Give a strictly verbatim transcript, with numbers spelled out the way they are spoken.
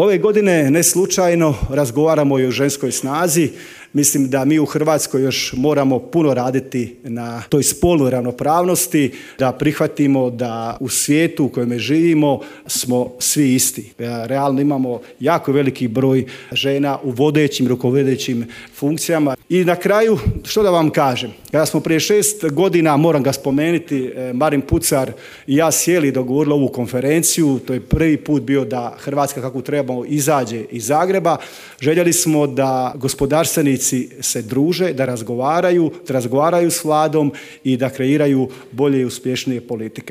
Ove godine ne slučajno razgovaramo i o ženskoj snazi. Mislim da mi u Hrvatskoj još moramo puno raditi na toj spolnoj ravnopravnosti, da prihvatimo da u svijetu u kojem živimo smo svi isti. Realno imamo jako veliki broj žena u vodećim, rukovodećim funkcijama. I na kraju, što da vam kažem, kada smo prije šest godina, moram ga spomenuti, Marin Pucar i ja sjeli i dogovorili ovu konferenciju, to je prvi put bio da Hrvatska kako trebamo izađe iz Zagreba. Željeli smo da gospodarstvenici se druže, da razgovaraju, da razgovaraju s vladom i da kreiraju bolje i uspješnije politike.